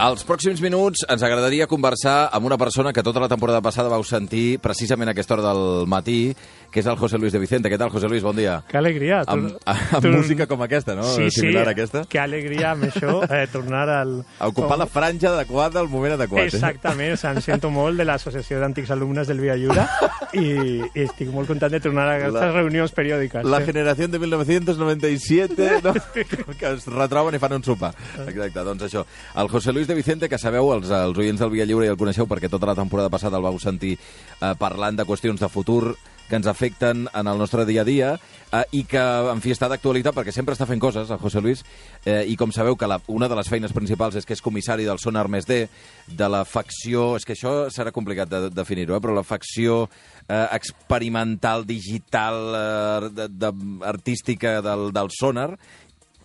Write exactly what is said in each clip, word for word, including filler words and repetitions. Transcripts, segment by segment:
Als pròxims minuts ens agradaria conversar amb una persona que tota la temporada passada vau sentir precisament a aquesta hora del matí, que és el José Luis de Vicente. Què tal, José Luis? Bon dia. Que alegria. Amb, amb tu... música com aquesta, no? Sí, Similar sí, a aquesta. que alegria amb això, eh, tornar al... A ocupar la franja adequada al moment adequat. Exactament, o sea, em sento molt de l'Associació d'Antics Alumnes del Via Lliure i, i estic molt content de tornar a aquestes la, reunions periòdiques. La eh? generació de mil nou-cents noranta-siete, no? Que es retroben i fan un sopar. Exacte, doncs això. El José Luis de Vicente, que sabeu, els, els oients del Via Lliure ja el coneixeu perquè tota la temporada passada el vau sentir eh, parlant de qüestions de futur que ens afecten en el nostre dia a dia eh, i que, en fi, està d'actualitat perquè sempre està fent coses, el José Luis, eh, i com sabeu que la, una de les feines principals és que és comissari del Sonar Més D, de la facció, és que això serà complicat de, de definir-ho, eh, però la facció eh, experimental, digital, eh, de, de, artística del, del Sonar,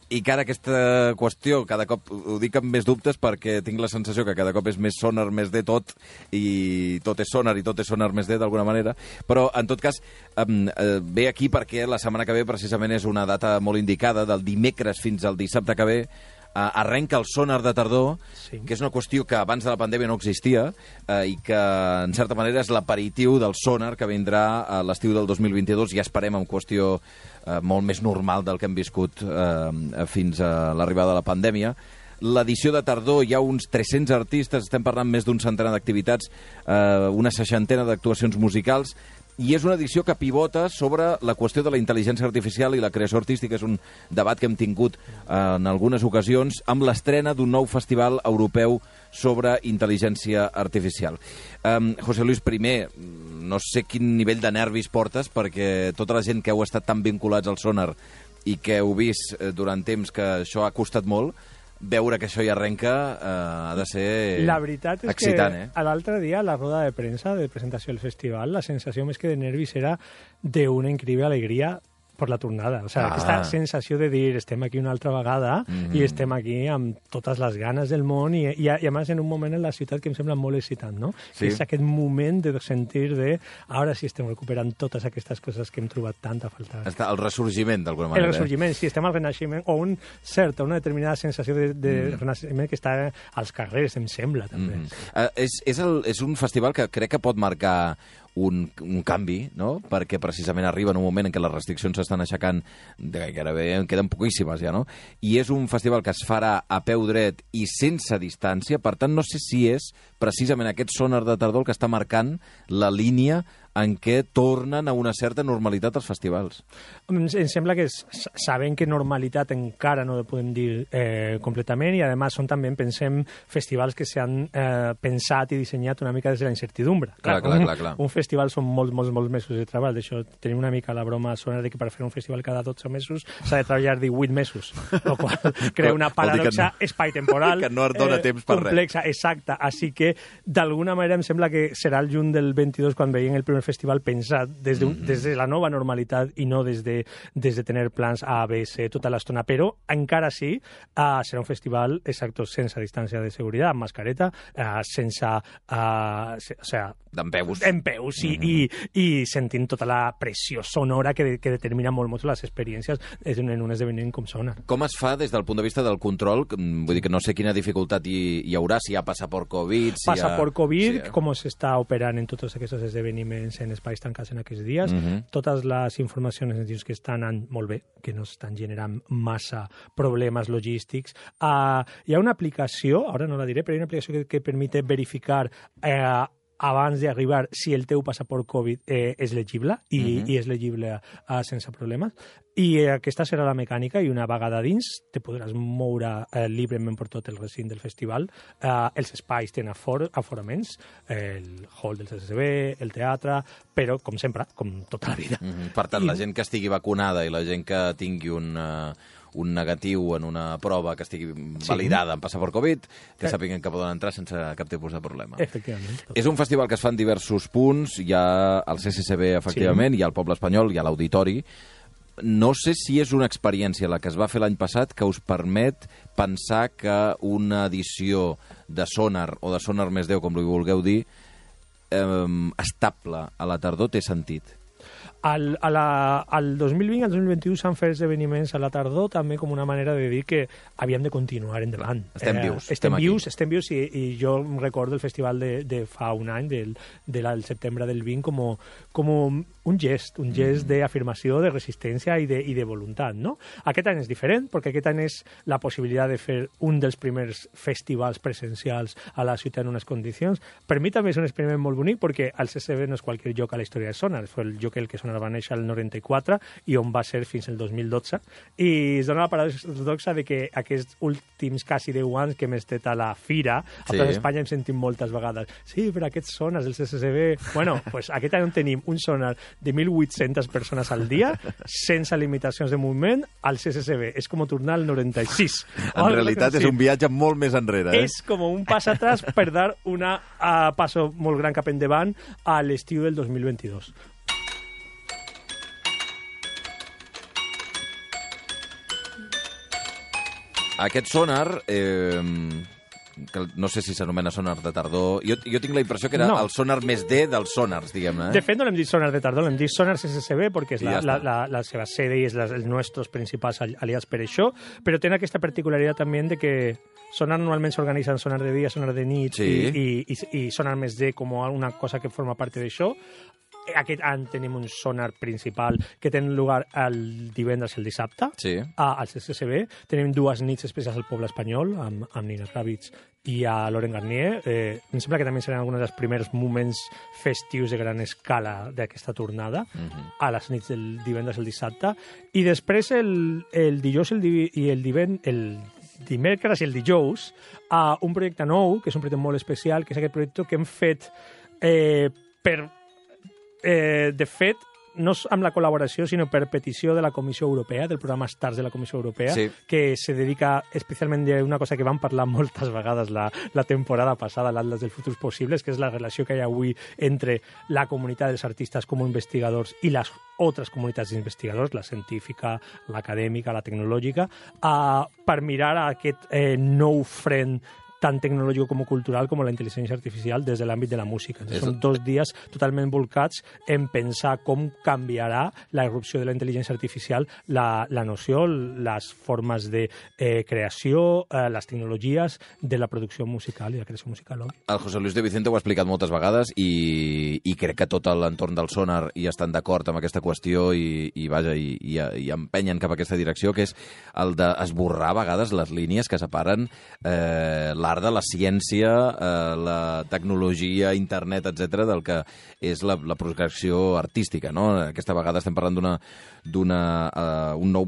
i que ara aquesta qüestió, cada cop ho dic amb més dubtes perquè tinc la sensació que cada cop és més Sonar Més D tot, i tot és Sonar i tot és Sonar Més D d'alguna manera, però en tot cas um, eh, ve aquí perquè la setmana que ve precisament és una data molt indicada, del dimecres fins al dissabte que ve, Uh, arrenca el Sonar de tardor, sí. Que és una qüestió que abans de la pandèmia no existia uh, i que, en certa manera, és l'aperitiu del Sonar que vindrà a l'estiu del dos mil vint-i-dos, ja esperem en qüestió uh, molt més normal del que hem viscut uh, fins a l'arribada de la pandèmia. L'edició de tardor hi ha uns tres-cents artistes, estem parlant més d'un centenar d'activitats, uh, una seixantena d'actuacions musicals, i és una edició que pivota sobre la qüestió de la intel·ligència artificial i la creació artística. És un debat que hem tingut eh, en algunes ocasions amb l'estrena d'un nou festival europeu sobre intel·ligència artificial. Um, José Luis, primer, no sé quin nivell de nervis portes, perquè tota la gent que heu estat tan vinculats al Sonar i que heu vist eh, durant temps que això ha costat molt, veure que això hi arrenca eh, ha de ser la veritat és excitant, que eh? l'altre dia a la roda de premsa de presentació del festival la sensació més que de nervis era d'una increïble alegria per la tornada. O sigui, ah. aquesta sensació de dir estem aquí una altra vegada mm-hmm. i estem aquí amb totes les ganes del món i, i, i a més en un moment en la ciutat que em sembla molt excitant, no? Sí. Que és aquest moment de sentir de ara sí estem recuperant totes aquestes coses que hem trobat tant a faltar. Està el ressorgiment, d'alguna manera. El ressorgiment, eh? Sí, estem al renaixement, o un cert, una determinada sensació de, de mm. renaixement que està als carrers, em sembla, també. Mm. Uh, és, és, el, és un festival que crec que pot marcar Un, un canvi, no? Perquè precisament arriba en un moment en què les restriccions s'estan aixecant, de gairebé en queden poquíssimes ja, no? I és un festival que es farà a peu dret i sense distància, per tant no sé si és precisament aquest Sonar de tardor que està marcant la línia en què tornen a una certa normalitat els festivals. Em sembla que sabem que normalitat encara no ho podem dir eh, completament i, a més, són també, pensem, festivals que s'han eh, pensat i dissenyat una mica des de la incertidumbre. Clar, clar, un, clar, clar. Un festival són molts, molts, molts mesos de treball. D'això tenim una mica la broma a Sonar de que per fer un festival cada dotze mesos s'ha de treballar divuit mesos, el qual crea una paradoxa no, espai-temporal que no es dona eh, temps per complexa, res. Exacta. Així que, d'alguna manera, em sembla que serà el juny del vint-i-dos quan veiem el primer festival pensat des de, mm -hmm. des de la nova normalitat i no des de, des de tenir plans A, B, C tota l'estona, però encara sí uh, serà un festival exacto sense distància de seguretat, amb mascareta, uh, sense uh, se, o sea, d'empeus, d'empeus i, mm -hmm. i, i sentint tota la pressió sonora que, que determina molt, molt les experiències en un esdeveniment com Sonar. Com es fa des del punt de vista del control? Vull dir que no sé quina dificultat hi, hi haurà, si hi ha passaport Covid... Si passaport ha... Covid, sí, com s'està operant en tots aquests esdeveniments en espais tancats en aquests dies. Mm-hmm. Totes les informacions ens dius que estan anant molt bé, que no estan generant massa problemes logístics. Uh, hi ha una aplicació, ara no la diré, però hi ha una aplicació que, que permite verificar eh, abans d'arribar si el teu passaport Covid eh, és legible i, mm-hmm. i és legible uh, sense problemes. I eh, aquesta serà la mecànica i una vegada dins te podràs moure eh, lliurement per tot el recinte del festival. Eh, els espais tenen afor aforaments, eh, el hall del C C C B, el teatre, però, com sempre, com tota la vida. Mm-hmm. Per tant, I... la gent que estigui vacunada i la gent que tingui un... Uh... un negatiu en una prova que estigui validada sí. en passaport Covid, que eh. sàpiguen que poden entrar sense cap tipus de problema. Efectivament. Tot. És un festival que es fa en diversos punts, hi ha el C C C B, efectivament, sí. hi ha el Poble Espanyol, hi ha l'Auditori. No sé si és una experiència, la que es va fer l'any passat, que us permet pensar que una edició de Sonar, o de Sonar Més D, com li vulgueu dir, eh, estable a la tardor té sentit. Al, a la, al dos mil vint, al dos mil vint-i-u s'han fet esdeveniments a la tardor també com una manera de dir que havíem de continuar endavant. Estem vius. Eh, estem, estem vius, aquí. estem vius i, i jo recordo el festival de, de fa un any, del, del setembre del vint, com, com un gest, un gest mm. d'afirmació, de resistència i de, i de voluntat, no? Aquest any és diferent, perquè aquest any és la possibilitat de fer un dels primers festivals presencials a la ciutat en unes condicions. Per mi també és un experiment molt bonic, perquè el C C B no és qualsevol lloc a la història de Sonar, és el lloc el que Sonar va néixer el noranta-quatre i on va ser fins el dos mil dotze, i es dona la paradoxa de que aquests últims quasi deu anys que hem estat a la fira, a sí. Espanya hem sentit moltes vegades, sí, però aquests sonars del C C B... Bueno, pues aquest any tenim un sonar de mil vuit-centes persones al dia, sense limitacions de moviment, al C C B. És com tornar al noranta-sis. En realitat és un viatge molt més enrere. Eh? És com un pas atrás per dar una uh, passo molt gran cap endavant a l'estiu del dos mil vint-i-dos. Aquest sonar, eh, que no sé si s'anomena sonar de tardor, jo, jo tinc la impressió que era no. el sonar més D dels sonars, diguem-ne. Eh? De fet, no l'hem dit sonar de tardor, l'hem dit sonar C C B, perquè és la, ja la, la, la seva sede i és la, els nostres principals aliats per això, però té aquesta particularitat també de que sonar normalment s'organitza en sonar de dia, sonar de nit sí. i, i, i, i sonar més D com una cosa que forma part d'això. Aquest any tenim un sonar principal que té lloc el divendres i el dissabte sí. a, al C C B. Tenim dues nits especials al poble espanyol amb, amb Nina Kravitz i a Laurent Garnier. Eh, em sembla que també seran alguns dels primers moments festius de gran escala d'aquesta tornada uh-huh. a les nits del divendres i el dissabte. I després el, el dijous el div i el divendres... El dimecres i el dijous a un projecte nou, que és un projecte molt especial, que és aquest projecte que hem fet eh, per... Eh, de fet, no amb la col·laboració, sinó per petició de la Comissió Europea, del programa STARS de la Comissió Europea, sí. que se dedica especialment a una cosa que vam parlar moltes vegades la, la temporada passada, l'Atlas dels Futurs Possibles, que és la relació que hi ha avui entre la comunitat dels artistes com a investigadors i les altres comunitats d'investigadors, la científica, l'acadèmica, la tecnològica, uh, per mirar aquest eh, nou front tant tecnològic com cultural com la intel·ligència artificial des de l'àmbit de la música. Entonces, són dos dies totalment volcats en pensar com canviarà la irrupció de la intel·ligència artificial, la, la noció, les formes de eh, creació, eh, les tecnologies de la producció musical i la creació musical. Oi? El José Luis de Vicente ho ha explicat moltes vegades i, i crec que tot l'entorn del sonar hi estan d'acord amb aquesta qüestió i, i, vaja, i, i, i empenyen cap a aquesta direcció, que és el d'esborrar a vegades les línies que separen eh, la l'art de la ciència, eh, la tecnologia, internet, etcètera, del que és la, la projecció artística, no? Aquesta vegada estem parlant d'una d'una uh, un nou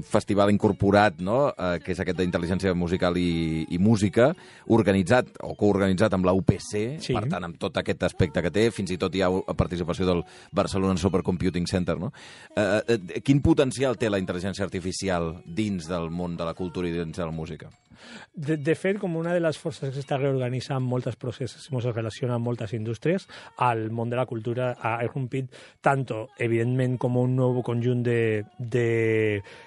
festival incorporat, no? Uh, que és aquest d'intel·ligència musical i, i música, organitzat o coorganitzat amb la U P C, sí. Per tant, amb tot aquest aspecte que té, fins i tot hi ha participació del Barcelona Supercomputing Center, no? Uh, uh, quin potencial té la intel·ligència artificial dins del món de la cultura i dins de la música? De, de fet, com una de les forces que s'està reorganitzant molts processos, es relaciona amb moltes indústries, el món de la cultura ha irrompit tant, evidentment, com un nou conjunt de, de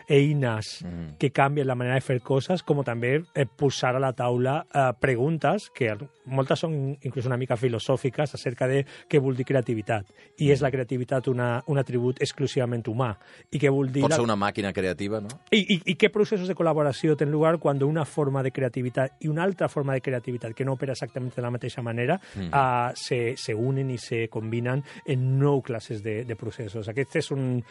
eines mm. que canvien la manera de fer coses, com també eh, posar a la taula eh, preguntes que moltes són inclús una mica filosòfiques acerca de què vol dir creativitat. I és la creativitat una, un atribut exclusivament humà. I què vol dir... Pot ser la... una màquina creativa, no? I, i, i què processos de col·laboració tenen lloc quan una forma de creativitat i una altra forma de creativitat que no opera exactament de la mateixa manera mm. uh, se, se unen i se combinen en nou classes de, de processos. Aquest és un,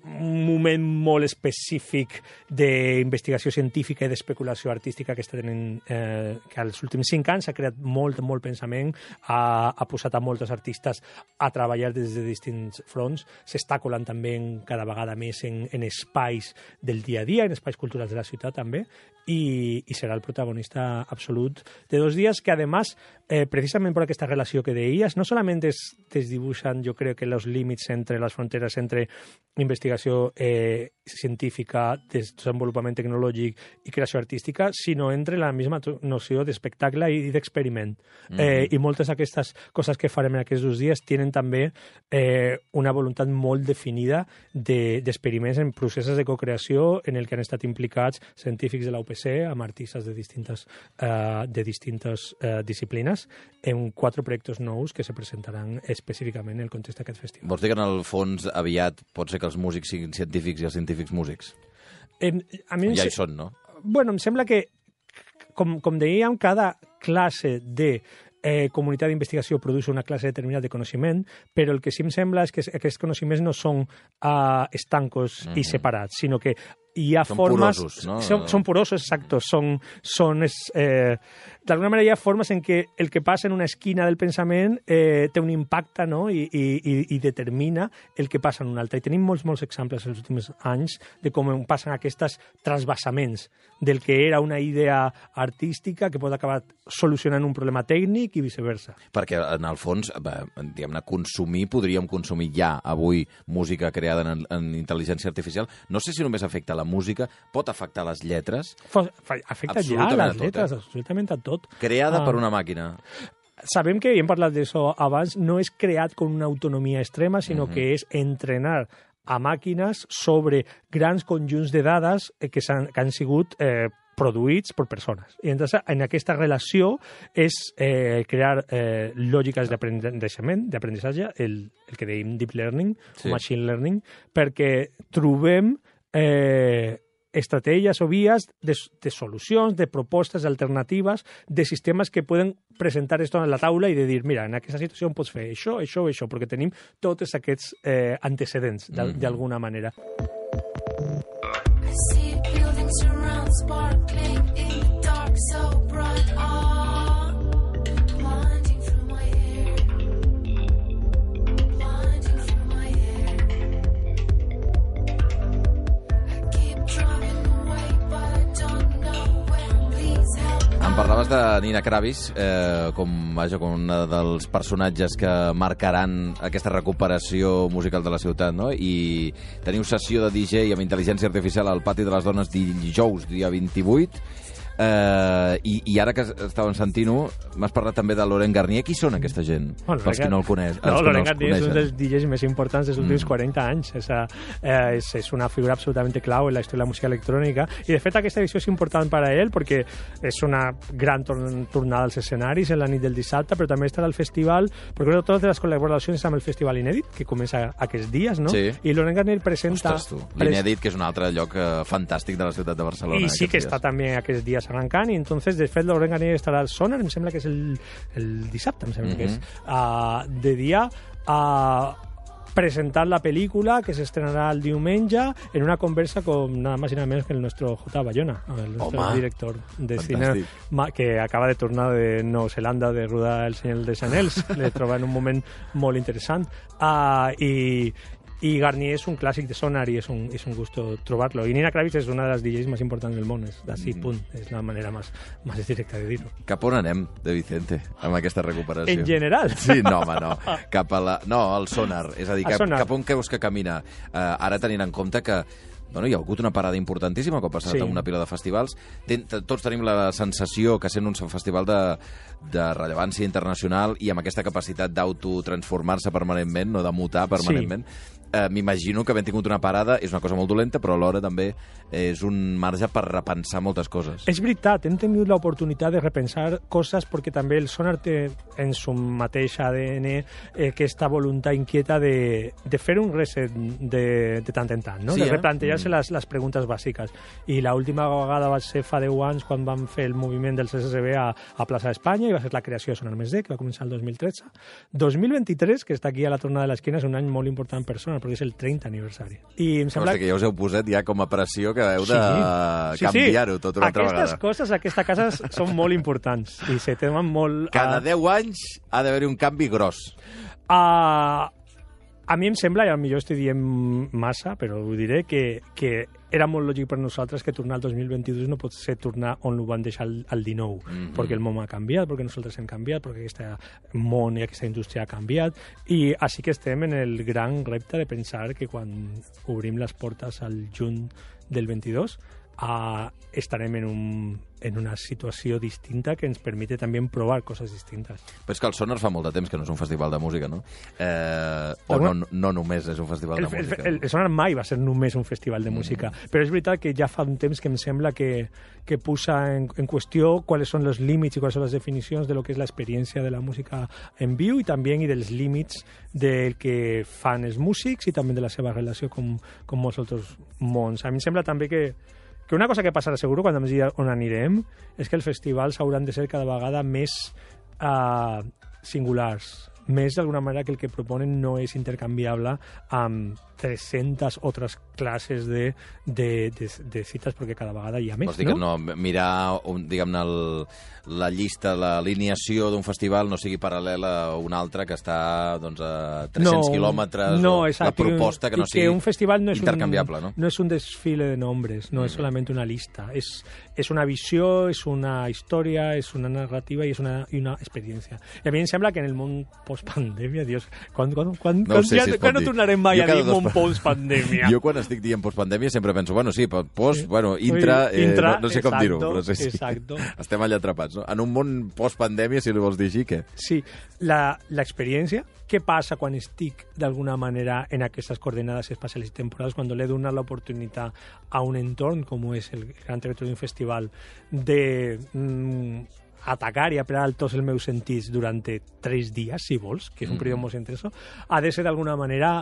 un moment molt específic d'investigació científica i d'especulació artística que està tenint, eh, que als últims cinc anys ha creat molt, molt pensament, ha, ha posat a molts artistes a treballar des de distints fronts, s'està colant també en, cada vegada més en, en espais del dia a dia, en espais culturals de la ciutat també, i, i serà el protagonista absolut de dos dies que, además, eh, precisament per aquesta relació que deies, no solament es desdibuixen, jo crec que els límits entre les fronteres entre investigació investigació eh, científica, desenvolupament tecnològic i creació artística, sinó entre la misma noció d'espectacle i d'experiment. Mm-hmm. eh, I moltes d'aquestes coses que farem en aquests dos dies tenen també eh, una voluntat molt definida d'experiments de, en processos de co-creació en el que han estat implicats científics de la U P C amb artistes de distintes, eh, de distintes eh, disciplines en quatre projectes nous que se presentaran específicament en el context d'aquest festival. Vols dir que en el fons aviat pot ser que els músics siguin científics i els científics músics? Eh, a mi ja se... hi són, no? Bueno, em sembla que, com, com dèiem, cada classe de eh, comunitat d'investigació produeix una classe determinada de coneixement, però el que sí em sembla és que aquests coneixements no són uh, estancos mm-hmm. i separats, sinó que hi ha són formes... Porosos, no? Són, són porosos, exacto. Són, són eh, d'alguna manera hi ha formes en què el que passa en una esquina del pensament eh, té un impacte, no? I, i, i determina el que passa en una altra. I tenim molts, molts exemples els últims anys de com passen aquests transvasaments del que era una idea artística que pot acabar solucionant un problema tècnic i viceversa. Perquè, en el fons, diguem-ne, consumir, podríem consumir ja avui música creada en, en intel·ligència artificial. No sé si només afecta la música, pot afectar les lletres. Afecta ja les lletres, eh? absolutament a tot. Creada uh, per una màquina. Sabem que, i hem parlat d'això abans, no és creat con una autonomia extrema, sinó mm-hmm. que és entrenar a màquines sobre grans conjunts de dades que, han, que han sigut eh, produïts per persones. I entonces, en aquesta relació és eh, crear eh, lògiques d'aprenentissament, d'aprenentatge, el, el que dèiem deep learning, sí. o machine learning, perquè trobem eh, estratègies o vies de, de solucions, de propostes alternatives, de sistemes que poden presentar esto en la taula i de dir, mira, en aquesta situació pots fer això, això, això, perquè tenim tots aquests eh, antecedents, d'alguna mm-hmm. manera. I see buildings around sparkling in the dark, so bright on, blinding through my hair, blinding through my hair. I keep driving away, but I don't know where, please help. Em parlaves de Nina Kravis eh, com, vaja, com un dels personatges que marcaran aquesta recuperació musical de la ciutat, no? I teniu sessió de D J amb intel·ligència artificial al Pati de les Dones dijous, dia vint-i-vuit. Uh, i, i ara que estàvem sentint-ho, m'has parlat també de Laurent Garnier. Qui són aquesta gent? Bueno, pels que no el coneix. No, Laurent Garnier és un dels D Js més importants dels últims mm. quaranta anys. És, eh, és, és una figura absolutament clau en la història de la música electrònica. I, de fet, aquesta edició és important per a ell perquè és una gran torn tornada als escenaris en la nit del dissabte, però també estarà al festival, perquè totes les col·laboracions amb el Festival Inèdit, que comença aquests dies, no? Sí. I Laurent Garnier presenta... Ostres, tu. L'Inèdit, que és un altre lloc eh, fantàstic de la ciutat de Barcelona. I sí que dies. Està també aquests dies arrancant, i entonces, de fet, Laurent Garnier estarà al Sonar, em sembla que és el, el dissabte, em sembla mm-hmm. que és, uh, de dia, a uh, presentar la pel·lícula que s'estrenarà el diumenge en una conversa con nada más y nada menos que el nuestro J. Bayona, el nuestro Home, director de cine que acaba de tornar de Nova Zelanda de rodar El Señor dels Anells. Le troba en un moment molt interessant. Uh, i I Garnier és un clàssic de Sonar i és un, és un gusto trobar-lo. I Nina Kravis és una de les D Js més importants del món. És d'ací, punt. És la manera més, més directa de dir-ho. Cap on anem, de Vicente, amb aquesta recuperació? En general? Sí, no, home, no. Cap a la... No, al Sonar. És a dir, cap, cap on creus que camina? Uh, ara tenint en compte que bueno, hi ha hagut una parada importantíssima com ha passat sí. en una pila de festivals. Ten, tots tenim la sensació que sent un festival de, de rellevància internacional i amb aquesta capacitat d'autotransformar-se permanentment, no de mutar permanentment, sí. eh, m'imagino que havent tingut una parada és una cosa molt dolenta, però alhora també és un marge per repensar moltes coses. És veritat, hem tingut l'oportunitat de repensar coses perquè també el Sonar té en su mateix A D N eh, aquesta voluntat inquieta de, de fer un reset de, de tant en tant, no? Sí, de replantejar-se eh? les, les preguntes bàsiques. I l'última vegada va ser fa deu anys quan vam fer el moviment del C S S B a, a Plaça d'Espanya i va ser la creació de Sonar Més D, que va començar el dos mil tretze. dos mil vint-i-tres, que està aquí a la tornada de l'esquina, és un any molt important per Sonar, perquè és el trenta aniversari. I em sembla... Hosti, que ja us heu posat ja com a pressió que heu de sí. canviar-ho sí, sí. tot una altra vegada. Aquestes coses, aquesta casa, són molt importants i se temen molt... Cada deu anys ha d'haver-hi un canvi gros. Uh, A mi em sembla, i potser estic dient massa, però ho diré, que, que era molt lògic per nosaltres que tornar al dos mil vint-i-dos no pot ser tornar on ho van deixar al, al dinou, mm-hmm. perquè el món ha canviat, perquè nosaltres hem canviat, perquè aquest món i aquesta indústria ha canviat, i així que estem en el gran repte de pensar que quan obrim les portes al juny del vint-i-dos uh, estarem en, un, en una situació distinta que ens permite també provar coses distintes. Però és que el Sonar fa molt de temps que no és un festival de música, no? Eh, o no, no només és un festival el, de música. El, el, el Sonar mai va ser només un festival de música, mm. però és veritat que ja fa un temps que em sembla que, que posa en, en qüestió quals són els límits i quals són les definicions de lo que és l'experiència de la música en viu i també i dels límits del que fan els músics i també de la seva relació com, com molts altres mons. A mi em sembla també que que una cosa que passarà segur quan ens digui on anirem és que els festivals hauran de ser cada vegada més uh, singulars, més d'alguna manera que el que proponen no és intercanviable amb tres-centes altres classes de, de, de, de cites, perquè cada vegada hi ha més, Vols dir no? que no, mirar, un, diguem-ne, el, la llista, l'alineació d'un festival no sigui paral·lela a un altre que està doncs, a tres-cents no, quilòmetres, no, o exacte, la proposta que no sigui que un festival no és intercanviable, un, no? No és un desfile de nombres, no mm. és solament una lista, és, és una visió, és una història, és una narrativa i és una, i una experiència. I a mi em sembla que en el món post-pandèmia, Dios, quan, quan, quan, no quan, sé ja, si quan no tornarem mai a dir món post-pandèmia? Jo quan estic dient post-pandèmia sempre penso, bueno, sí, post, bueno, intra, eh, intra no, no sé com exacto, dir-ho, però sí, sí. Exacto. Estem allà atrapats, no? En un món post-pandèmia, si li vols dir així, què? Sí, l'experiència, què passa quan estic d'alguna manera en aquestes coordenades espacials i temporals, quan l'he donat l'oportunitat a un entorn com és el gran territori d'un festival de mm, atacar i apretar tots els meus sentits durant tres dies, si vols, que és un període molt intenso, ha de ser d'alguna manera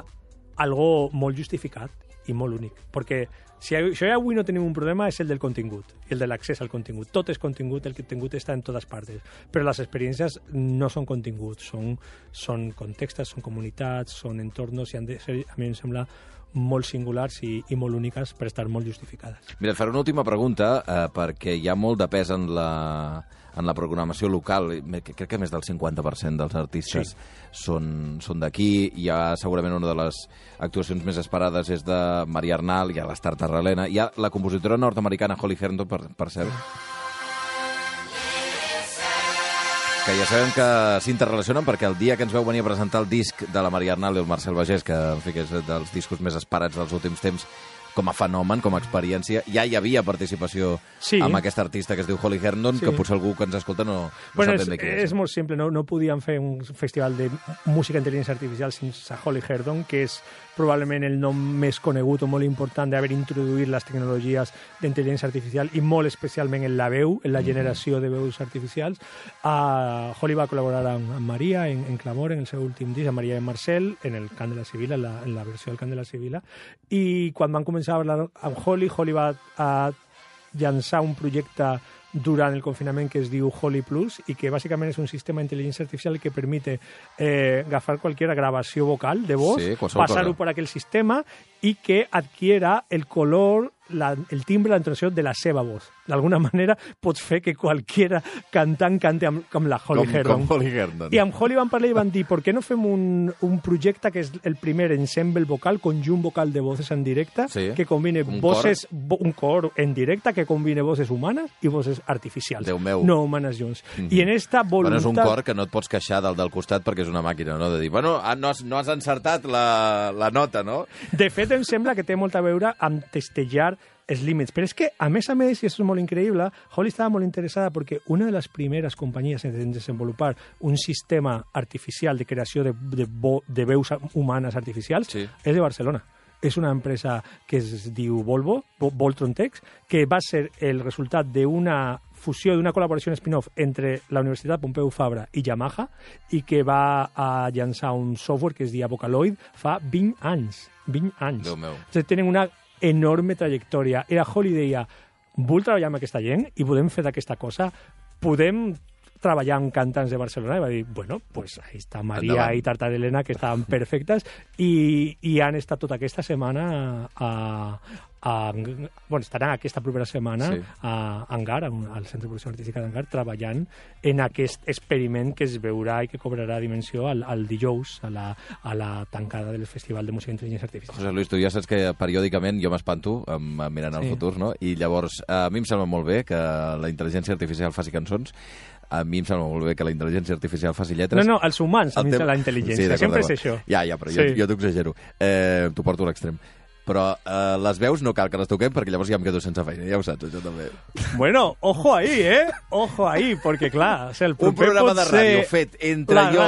algo molt justificat i molt únic, perquè si això avui no tenim un problema és el del contingut, el de l'accés al contingut. Tot és contingut, el contingut està en totes parts, però les experiències no són continguts, són, són contextes, són comunitats, són entorns i han de ser, a mi em sembla, molt singulars i, i molt úniques per estar molt justificades. Mira, et faré una última pregunta, eh, perquè hi ha molt de pes en la, en la programació local. Crec que més del cinquanta per cent dels artistes sí. són, són d'aquí. Hi ha segurament una de les actuacions més esperades és de Maria Arnal, hi ha l'Star Tarralena, hi ha la compositora nord-americana Holly Herndon, per, per cert, que ja sabem que s'interrelacionen perquè el dia que ens veu venir a presentar el disc de la Maria Arnal i el Marcel Bagés, que en fi, que és dels discos més esperats dels últims temps, com a fenomen, com a experiència, ja hi havia participació sí. amb aquesta artista que es diu Holly Herndon, sí. que potser algú que ens escolta no, no bueno, sap ben bé què és. És molt simple, no, no podíem fer un festival de música intel·ligència artificial sense Holly Herndon, que és probablement el nom més conegut o molt important d'haver introduït les tecnologies d'intel·ligència artificial i molt especialment en la veu, en la generació de veus artificials. Uh, Holly va col·laborar amb, amb Maria en, en Clamor, en el seu últim disc, amb Maria i Marcel, en el Cant de la Sibila, en la, en la versió del Cant de la Sibila, i quan van començar a parlar amb Holly, Holly va a llançar un projecte durant el confinament que es diu Holly Plus i que bàsicament és un sistema d'intel·ligència artificial que permite eh, agafar qualsevol gravació vocal de voz, sí, passar-ho per aquell sistema i que adquiera el color, la, el timbre, la entonació de la seva voz. D'alguna manera pots fer que qualsevol cantant cante amb, com la Holly com, Herndon. Com Holly Herndon. I amb Holly van parlar i van dir, per què no fem un, un projecte que és el primer ensemble vocal, conjunt vocal de voces en directe, sí, que combine un voces, cor. Vo, un cor en directe, que combine voces humanes i voces artificials. Déu meu. No humanes junts. Mm -hmm. I en esta voluntat... Bueno, és un cor que no et pots queixar del del costat perquè és una màquina, no? De dir, bueno, no has, no has encertat la, la nota, no? De fet, em sembla que té molt a veure amb testejar els límits. Però és que, a més a més, i això és molt increïble, Holly estava molt interessada perquè una de les primeres companyies en desenvolupar un sistema artificial de creació de, de, bo, de veus humanes artificials sí. és de Barcelona. És una empresa que es diu Volvo, Voltron Text, que va ser el resultat d'una fusió, d'una col·laboració en spin-off entre la Universitat Pompeu Fabra i Yamaha i que va a llançar un software que es diu Vocaloid fa vint anys. vint anys. Déu meu. O sigui, tenen una enorme trajectòria. Era Holly deia, vull treballar amb aquesta gent i podem fer d'aquesta cosa, podem treballar amb cantants de Barcelona, i va dir, bueno, pues ahí està Maria Endavant. I Tartarelena, que estaven perfectes, i, i han estat tota aquesta setmana a, a, bueno, estarà aquesta propera setmana sí. a Angar, al Centre de Producció Artística d'Angar, treballant en aquest experiment que es veurà i que cobrarà dimensió al, al dijous, a la, a la tancada del Festival de Música d'Intel·ligència Artificial. José Luis, tu ja saps que periòdicament jo m'espanto mirant al sí. futur, no? I llavors, a mi em sembla molt bé que la intel·ligència artificial faci cançons, a mi em sembla molt bé que la intel·ligència artificial faci lletres. No, no, els humans, a mi tem... la intel·ligència, sí, sempre és això. Ja, ja, però sí. jo, jo t'ho exagero. Eh, t'ho porto a l'extrem. Però eh, les veus no cal que les toquem perquè llavors ja em quedo sense feina, ja ho saps, això també. Bueno, ojo ahí, eh? Ojo ahí, perquè clar, o sigui, el un programa de ràdio fet entre jo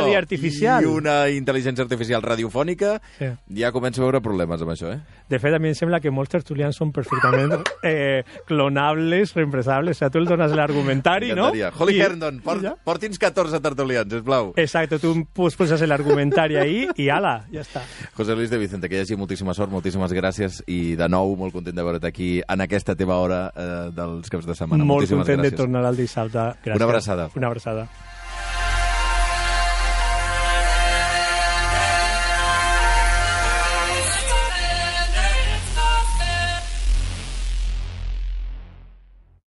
i una intel·ligència artificial radiofònica, sí. ja començo a veure problemes amb això, eh? De fet, a mi em sembla que molts tertulians són perfectament eh, clonables, reemplaçables, o sigui, tu el dones l'argumentari, no? Holly I... Herndon, port, ja? porti'ns catorze tertulians, sisplau. Exacte, tu poses l'argumentari ahí i ala, ja està. José Luis de Vicente, que hi hagi moltíssima sort, moltíssimes gràcies. Gràcies i de nou molt content de veure't aquí en aquesta teva hora eh, dels caps de setmana. Molt Moltíssimes content gràcies. de tornar al dissabte. Gràcies. Una abraçada. Una abraçada.